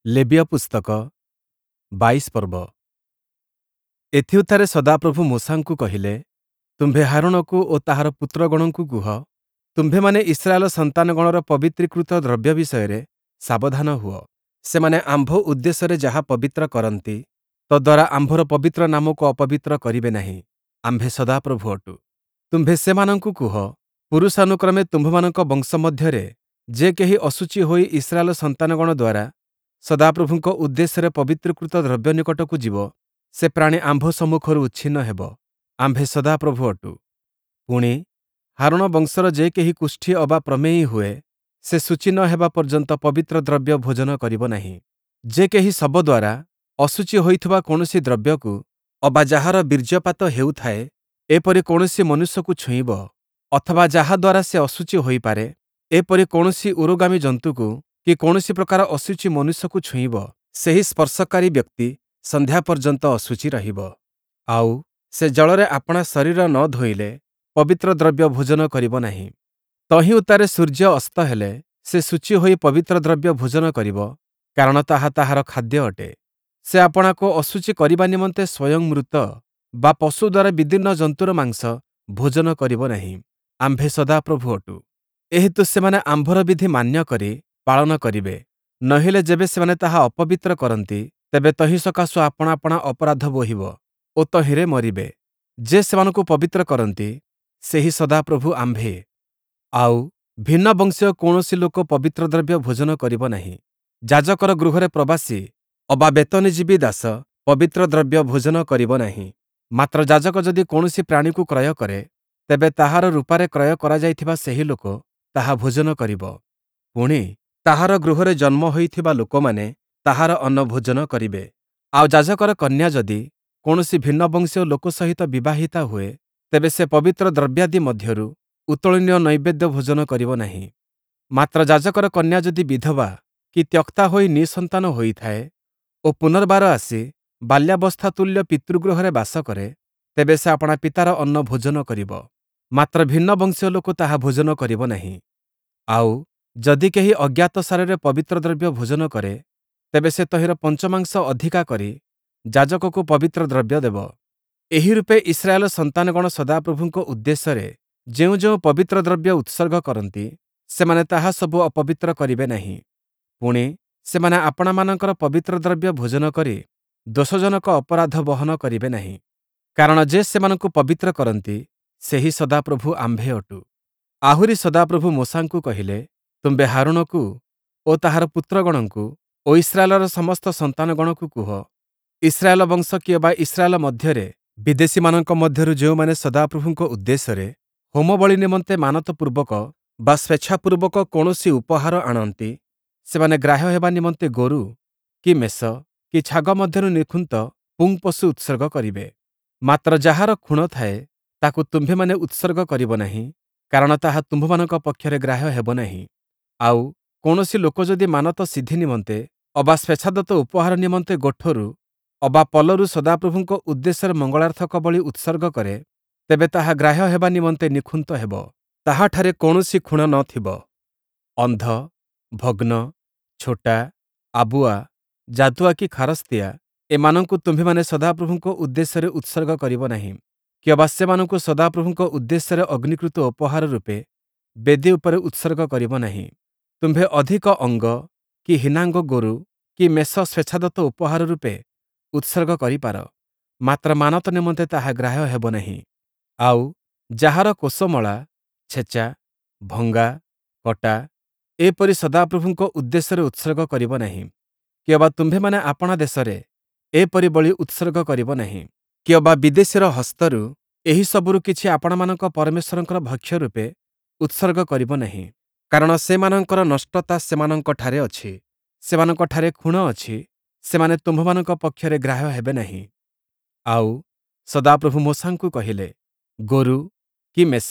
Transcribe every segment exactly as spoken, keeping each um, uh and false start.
ଲେବୀୟ ପୁସ୍ତକ ବାଇଶ ପର୍ବ। ଏଥିଉତ୍ତାରେ ସଦାପ୍ରଭୁ ମୋଶାଙ୍କୁ କହିଲେ, ତୁମ୍ଭେ ହାରୋଣକୁ ଓ ତାହାର ପୁତ୍ରଗଣଙ୍କୁ କୁହ, ତୁମ୍ଭେମାନେ ଇସ୍ରାଏଲ ସନ୍ତାନଗଣର ପବିତ୍ରୀକୃତ ଦ୍ରବ୍ୟ ବିଷୟରେ ସାବଧାନ ହୁଅ। ସେମାନେ ଆମ୍ଭ ଉଦ୍ଦେଶ୍ୟରେ ଯାହା ପବିତ୍ର କରନ୍ତି, ତଦ୍ଦ୍ୱାରା ଆମ୍ଭର ପବିତ୍ର ନାମକୁ ଅପବିତ୍ର କରିବେ ନାହିଁ। ଆମ୍ଭେ ସଦାପ୍ରଭୁ ଅଟୁ। ତୁମ୍ଭେ ସେମାନଙ୍କୁ କୁହ, ପୁରୁଷାନୁକ୍ରମେ ତୁମ୍ଭମାନଙ୍କ ବଂଶ ମଧ୍ୟରେ ଯେ କେହି ଅଶୁଚି ହୋଇ ଇସ୍ରାଏଲ ସନ୍ତାନଗଣ ଦ୍ୱାରା ସଦାପ୍ରଭୁଙ୍କ ଉଦ୍ଦେଶ୍ୟରେ ପବିତ୍ରୀକୃତ ଦ୍ରବ୍ୟ ନିକଟକୁ ଯିବ, ସେ ପ୍ରାଣୀ ଆମ୍ଭ ସମ୍ମୁଖରୁ ଉଚ୍ଛିନ୍ନ ହେବ। ଆମ୍ଭେ ସଦାପ୍ରଭୁ ଅଟୁ। ପୁଣି, ହାରୋଣ ବଂଶର ଯେ କେହି କୁଷ୍ଠୀ ଅବା ପ୍ରମେୟୀ ହୁଏ, ସେ ଶୁଚି ନ ହେବା ପର୍ଯ୍ୟନ୍ତ ପବିତ୍ର ଦ୍ରବ୍ୟ ଭୋଜନ କରିବ ନାହିଁ। ଯେ କେହି ଶବ ଦ୍ୱାରା ଅଶୁଚି ହୋଇଥିବା କୌଣସି ଦ୍ରବ୍ୟକୁ ଅବା ଯାହାର ବୀର୍ଯ୍ୟପାତ ହେଉଥାଏ, ଏପରି କୌଣସି ମନୁଷ୍ୟକୁ ଛୁଇଁବ, ଅଥବା ଯାହା ଦ୍ୱାରା ସେ ଅଶୁଚି ହୋଇପାରେ, ଏପରି କୌଣସି ଉରୋଗାମୀ ଜନ୍ତୁକୁ କି କୌଣସି ପ୍ରକାର ଅଶୁଚି ମନୁଷ୍ୟକୁ ଛୁଇଁବ, ସେହି ସ୍ପର୍ଶକାରୀ ବ୍ୟକ୍ତି ସନ୍ଧ୍ୟା ପର୍ଯ୍ୟନ୍ତ ଅଶୁଚି ରହିବ। ଆଉ, ସେ ଜଳରେ ଆପଣା ଶରୀର ନ ଧୋଇଲେ ପବିତ୍ର ଦ୍ରବ୍ୟ ଭୋଜନ କରିବ ନାହିଁ। ତହିଁ ଉତ୍ତାରେ ସୂର୍ଯ୍ୟ ଅସ୍ତ ହେଲେ ସେ ଶୁଚି ହୋଇ ପବିତ୍ର ଦ୍ରବ୍ୟ ଭୋଜନ କରିବ, କାରଣ ତାହା ତାହାର ଖାଦ୍ୟ ଅଟେ। ସେ ଆପଣାକୁ ଅଶୁଚି କରିବା ନିମନ୍ତେ ସ୍ୱୟଂ ମୃତ ବା ପଶୁ ଦ୍ୱାରା ବିଦୀର୍ଣ୍ଣ ଜନ୍ତୁର ମାଂସ ଭୋଜନ କରିବ ନାହିଁ। ଆମ୍ଭେ ସଦାପ୍ରଭୁ ଅଟୁ। ଏହେତୁ ସେମାନେ ଆମ୍ଭର ବିଧି ମାନ୍ୟ କରି ପାଳନ କରିବେ, ନୋହିଲେ ଯେବେ ସେମାନେ ତାହା ଅପବିତ୍ର କରନ୍ତି, ତେବେ ତହିଁ ସକାଶୁ ଆପଣା ଆପଣା ଅପରାଧ ବୋହିବ ଓ ତହିଁରେ ମରିବେ। ଯେ ସେମାନଙ୍କୁ ପବିତ୍ର କରନ୍ତି, ସେହି ସଦାପ୍ରଭୁ ଆମ୍ଭେ। ଆଉ, ଭିନ୍ନ ବଂଶୀୟ କୌଣସି ଲୋକ ପବିତ୍ର ଦ୍ରବ୍ୟ ଭୋଜନ କରିବ ନାହିଁ। ଯାଜକର ଗୃହରେ ପ୍ରବାସୀ ଅବା ବେତନଜୀବୀ ଦାସ ପବିତ୍ର ଦ୍ରବ୍ୟ ଭୋଜନ କରିବ ନାହିଁ। ମାତ୍ର ଯାଜକ ଯଦି କୌଣସି ପ୍ରାଣୀକୁ କ୍ରୟ କରେ, ତେବେ ତାହାର ରୂପାରେ କ୍ରୟ କରାଯାଇଥିବା ସେହି ଲୋକ ତାହା ଭୋଜନ କରିବ। ପୁଣି, ତାହାର ଗୃହରେ ଜନ୍ମ ହୋଇଥିବା ଲୋକମାନେ ତାହାର ଅନ୍ନ ଭୋଜନ କରିବେ। ଆଉ ଯାଜକର କନ୍ୟା ଯଦି କୌଣସି ଭିନ୍ନ ବଂଶୀୟ ଲୋକ ସହିତ ବିବାହିତା ହୁଏ, ତେବେ ସେ ପବିତ୍ର ଦ୍ରବ୍ୟାଦି ମଧ୍ୟରୁ ଉତ୍ତୋଳନୀୟ ନୈବେଦ୍ୟ ଭୋଜନ କରିବ ନାହିଁ। ମାତ୍ର ଯାଜକର କନ୍ୟା ଯଦି ବିଧବା କି ତ୍ୟକ୍ତା ହୋଇ ନିଃସନ୍ତାନ ହୋଇଥାଏ ଓ ପୁନର୍ବାର ଆସି ବାଲ୍ୟାବସ୍ଥା ତୁଲ୍ୟ ପିତୃଗୃହରେ ବାସ କରେ, ତେବେ ସେ ଆପଣା ପିତାର ଅନ୍ନ ଭୋଜନ କରିବ। ମାତ୍ର ଭିନ୍ନ ବଂଶୀୟ ଲୋକ ତାହା ଭୋଜନ କରିବ ନାହିଁ। ଆଉ, ଯଦି କେହି ଅଜ୍ଞାତସାରରେ ପବିତ୍ର ଦ୍ରବ୍ୟ ଭୋଜନ କରେ, ତେବେ ସେ ତହିଁର ପଞ୍ଚମାଂଶ ଅଧିକା କରି ଯାଜକକୁ ପବିତ୍ର ଦ୍ରବ୍ୟ ଦେବ। ଏହି ରୂପେ ଇସ୍ରାଏଲ ସନ୍ତାନଗଣ ସଦାପ୍ରଭୁଙ୍କ ଉଦ୍ଦେଶ୍ୟରେ ଯେଉଁ ଯେଉଁ ପବିତ୍ର ଦ୍ରବ୍ୟ ଉତ୍ସର୍ଗ କରନ୍ତି, ସେମାନେ ତାହା ସବୁ ଅପବିତ୍ର କରିବେ ନାହିଁ। ପୁଣି, ସେମାନେ ଆପଣାମାନଙ୍କର ପବିତ୍ର ଦ୍ରବ୍ୟ ଭୋଜନ କରି ଦୋଷଜନକ ଅପରାଧ ବହନ କରିବେ ନାହିଁ। କାରଣ ଯେ ସେମାନଙ୍କୁ ପବିତ୍ର କରନ୍ତି, ସେହି ସଦାପ୍ରଭୁ ଆମ୍ଭେ ଅଟୁ। ଆହୁରି ସଦାପ୍ରଭୁ ମୋଶାଙ୍କୁ କହିଲେ, ତୁମ୍ଭେ ହାରୋଣକୁ ଓ ତାହାର ପୁତ୍ରଗଣଙ୍କୁ ଓ ଇସ୍ରାଏଲର ସମସ୍ତ ସନ୍ତାନଗଣକୁ କୁହ, ଇସ୍ରାଏଲ ବଂଶ କିଅବା ଇସ୍ରାଏଲ ମଧ୍ୟରେ ବିଦେଶୀମାନଙ୍କ ମଧ୍ୟରୁ ଯେଉଁମାନେ ସଦାପ୍ରଭୁଙ୍କ ଉଦ୍ଦେଶ୍ୟରେ ହୋମବଳି ନିମନ୍ତେ ମାନତପୂର୍ବକ ବା ସ୍ୱେଚ୍ଛାପୂର୍ବକ କୌଣସି ଉପହାର ଆଣନ୍ତି, ସେମାନେ ଗ୍ରାହ୍ୟ ହେବା ନିମନ୍ତେ ଗୋରୁ କି ମେଷ କି ଛାଗ ମଧ୍ୟରୁ ନିଖୁନ୍ତ ପୁଂପଶୁ ଉତ୍ସର୍ଗ କରିବେ। ମାତ୍ର ଯାହାର ଖୁଣ ଥାଏ, ତାକୁ ତୁମ୍ଭେମାନେ ଉତ୍ସର୍ଗ କରିବ ନାହିଁ, କାରଣ ତାହା ତୁମ୍ଭମାନଙ୍କ ପକ୍ଷରେ ଗ୍ରାହ୍ୟ ହେବ ନାହିଁ। ଆଉ, କୌଣସି ଲୋକ ଯଦି ମାନତ ସିଦ୍ଧି ନିମନ୍ତେ ଅବା ସ୍ୱେଚ୍ଛାଦତ୍ତ ଉପହାର ନିମନ୍ତେ ଗୋଠରୁ ଅବା ପଲରୁ ସଦାପ୍ରଭୁଙ୍କ ଉଦ୍ଦେଶ୍ୟରେ ମଙ୍ଗଳାର୍ଥକ ବଳି ଉତ୍ସର୍ଗ କରେ, ତେବେ ତାହା ଗ୍ରାହ୍ୟ ହେବା ନିମନ୍ତେ ନିଖୁନ୍ତ ହେବ। ତାହାଠାରେ କୌଣସି ଖୁଣ ନ ଥିବ। ଅନ୍ଧ, ଭଗ୍ନ, ଛୋଟା, ଆବୁଆ, ଯାଦୁଆ କି ଖାରସ୍ତିଆ ଏମାନଙ୍କୁ ତୁମ୍ଭେମାନେ ସଦାପ୍ରଭୁଙ୍କ ଉଦ୍ଦେଶ୍ୟରେ ଉତ୍ସର୍ଗ କରିବ ନାହିଁ, କିଅବା ସେମାନଙ୍କୁ ସଦାପ୍ରଭୁଙ୍କ ଉଦ୍ଦେଶ୍ୟରେ ଅଗ୍ନିକୃତ ଉପହାର ରୂପେ ବେଦି ଉପରେ ଉତ୍ସର୍ଗ କରିବ ନାହିଁ। ତୁମ୍ଭେ ଅଧିକ ଅଙ୍ଗ କି ହୀନାଙ୍ଗ ଗୋରୁ କି ମେଷ ସ୍ୱେଚ୍ଛାଦତ୍ତ ଉପହାର ରୂପେ ଉତ୍ସର୍ଗ କରିପାର, ମାତ୍ର ମାନତ ନିମନ୍ତେ ତାହା ଗ୍ରାହ୍ୟ ହେବ ନାହିଁ। ଆଉ, ଯାହାର କୋଷମଳା, ଛେଚା, ଭଙ୍ଗା, କଟା, ଏପରି ସଦାପ୍ରଭୁଙ୍କ ଉଦ୍ଦେଶ୍ୟରେ ଉତ୍ସର୍ଗ କରିବ ନାହିଁ, କିଅବା ତୁମ୍ଭେମାନେ ଆପଣା ଦେଶରେ ଏପରି ବଳି ଉତ୍ସର୍ଗ କରିବ ନାହିଁ, କିଅବା ବିଦେଶୀର ହସ୍ତରୁ ଏହି ସବୁରୁ କିଛି ଆପଣାମାନଙ୍କ ପରମେଶ୍ୱରଙ୍କର ଭକ୍ଷ୍ୟ ରୂପେ ଉତ୍ସର୍ଗ କରିବ ନାହିଁ। କାରଣ ସେମାନଙ୍କର ନଷ୍ଟତା ସେମାନଙ୍କଠାରେ ଅଛି, ସେମାନଙ୍କଠାରେ ଖୁଣ ଅଛି, ସେମାନେ ତୁମ୍ଭମାନଙ୍କ ପକ୍ଷରେ ଗ୍ରାହ୍ୟ ହେବେ ନାହିଁ। ଆଉ, ସଦାପ୍ରଭୁ ମୋଶାଙ୍କୁ କହିଲେ, ଗୋରୁ କି ମେଷ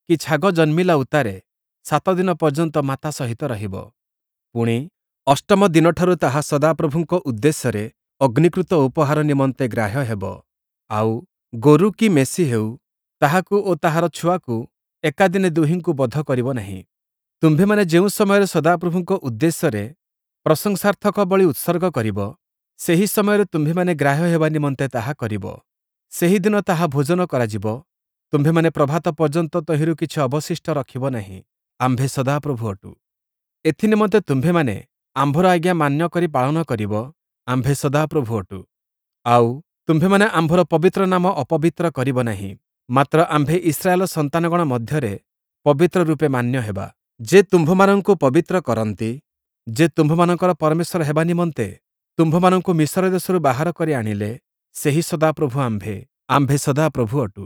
କି ଛାଗ ଜନ୍ମିଲା ଉତ୍ତାରେ ସାତ ଦିନ ପର୍ଯ୍ୟନ୍ତ ମାତା ସହିତ ରହିବ। ପୁଣି, ଅଷ୍ଟମ ଦିନଠାରୁ ତାହା ସଦାପ୍ରଭୁଙ୍କ ଉଦ୍ଦେଶ୍ୟରେ ଅଗ୍ନିକୃତ ଉପହାର ନିମନ୍ତେ ଗ୍ରାହ୍ୟ ହେବ। ଆଉ, ଗୋରୁ କି ମେଷି ହେଉ, ତାହାକୁ ଓ ତାହାର ଛୁଆକୁ ଏକାଦିନେ ଦୁହିଁଙ୍କୁ ବଧ କରିବ ନାହିଁ। ତୁମ୍ଭେମାନେ ଯେଉଁ ସମୟରେ ସଦାପ୍ରଭୁଙ୍କ ଉଦ୍ଦେଶ୍ୟରେ ପ୍ରଶଂସାର୍ଥକ ବଳି ଉତ୍ସର୍ଗ କରିବ, ସେହି ସମୟରେ ତୁମ୍ଭେମାନେ ଗ୍ରାହ୍ୟ ହେବା ନିମନ୍ତେ ତାହା କରିବ। ସେହି ଦିନ ତାହା ଭୋଜନ କରାଯିବ। ତୁମ୍ଭେମାନେ ପ୍ରଭାତ ପର୍ଯ୍ୟନ୍ତ ତହିଁରୁ କିଛି ଅବଶିଷ୍ଟ ରଖିବ ନାହିଁ। ଆମ୍ଭେ ସଦାପ୍ରଭୁ ଅଟୁ। ଏଥିନିମନ୍ତେ ତୁମ୍ଭେମାନେ ଆମ୍ଭର ଆଜ୍ଞା ମାନ୍ୟ କରି ପାଳନ କରିବ। ଆମ୍ଭେ ସଦାପ୍ରଭୁ ଅଟୁ। ଆଉ, ତୁମ୍ଭେମାନେ ଆମ୍ଭର ପବିତ୍ର ନାମ ଅପବିତ୍ର କରିବ ନାହିଁ। ମାତ୍ର ଆମ୍ଭେ ଇସ୍ରାଏଲ ସନ୍ତାନଗଣ ମଧ୍ୟରେ ପବିତ୍ର ରୂପେ ମାନ୍ୟ ହେବା। ଯେ ତୁମ୍ଭମାନଙ୍କୁ ପବିତ୍ର କରନ୍ତି, ଯେ ତୁମ୍ଭମାନଙ୍କର ପରମେଶ୍ୱର ହେବା ନିମନ୍ତେ ତୁମ୍ଭମାନଙ୍କୁ ମିଶର ଦେଶରୁ ବାହାର କରି ଆଣିଲେ, ସେହି ସଦାପ୍ରଭୁ ଆମ୍ଭେ। ଆମ୍ଭେ ସଦାପ୍ରଭୁ ଅଟୁ।